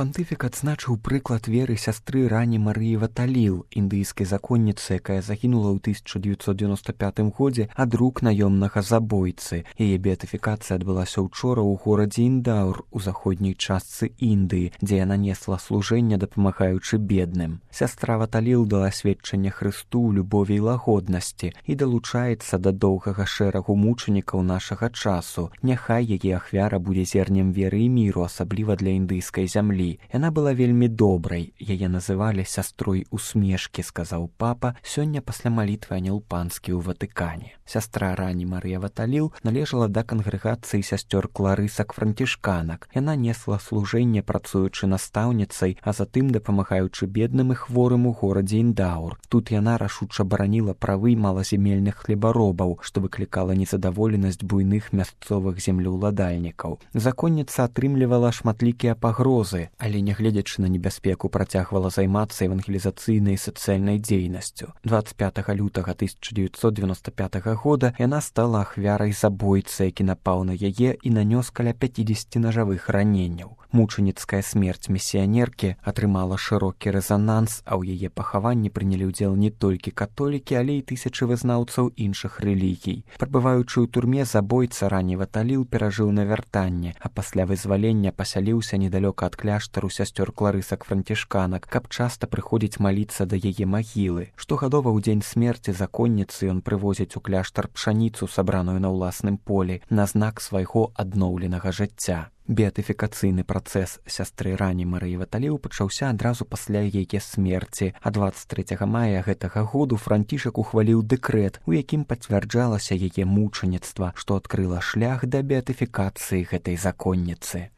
Пантыфік адзначыў прыклад веры сястры Рані Марыі Ваталіл, індыйскай законніцы, якая загінула ў 1995 годзе ад рук наёмнага забойцы. Яе беатыфікацыя адбылася учора ў горадзе Індаур у заходняй частцы Індыі, дзе яна несла служэнне, дапамагаючы бедным. Сястра Ваталіл дала сведчанне Хрысту ў любові і лагоднасці і далучаецца да доўгага шэрагу мучанікаў нашага часу. Няхай яе ахвяра будзе зернем веры і міру, асабліва для індыйскай зямлі. Яна была вельмі добрай, яе называлі сястрой усмешкі, сказаў папа сёння пасля малітвы анёл панскі ў Ватыкане. Сястра Рані Марыя Ваталіл належала да кангрэгацыі сясцёр кларысак-францішканак. Яна несла служэнне, працуючы настаўніцай, а затым дапамагаючы бедным і хворым у горадзе Індаур. Тут яна рашуча бараніла правы малазямельных хлебаробаў, што выклікала незадаволенасць буйных мясцовых землеўладальнікаў. Законніца атрымлівала шматлікія пагрозы, але, нягледзячы на небяспеку, працягвала займацца евангелізацыйнай і сацыяльнай дзейнасцю. 25 лютага 1995 года яна стала ахвярай забойцы, які напаў на яе і нанёс каля 50 нажавых раненняў. Мучаніцкая смерць місіянеркі атрымала шырокі рэзананс, а ў яе пахаванні прынялі ўдзел не толькі католікі, але і тысячы вызнаўцаў іншых рэлігій. Прабываючы ў турме, забойца Рані Ваталіл перажыў навяртанне, а пасля вызвалення пасяліўся недалёка ад кляштару сясцёр кларысак-францішканак, каб часта прыходзіць маліцца да яе магілы. Штогадова ў дзень смерці законніцы ён прывозіць у кляштар пшаніцу, сабраную на ўласным полі, на знак свайго адноўленага жыцця. Беатыфікацыйны працэс сястры Рані Марыі Ваталіл пачаўся адразу пасля яе смерці, а 23 мая гэтага году Францішак ухваліў дэкрэт, у якім пацвярджалася яе мучаніцтва, што адкрыла шлях да беатыфікацыі гэтай законніцы.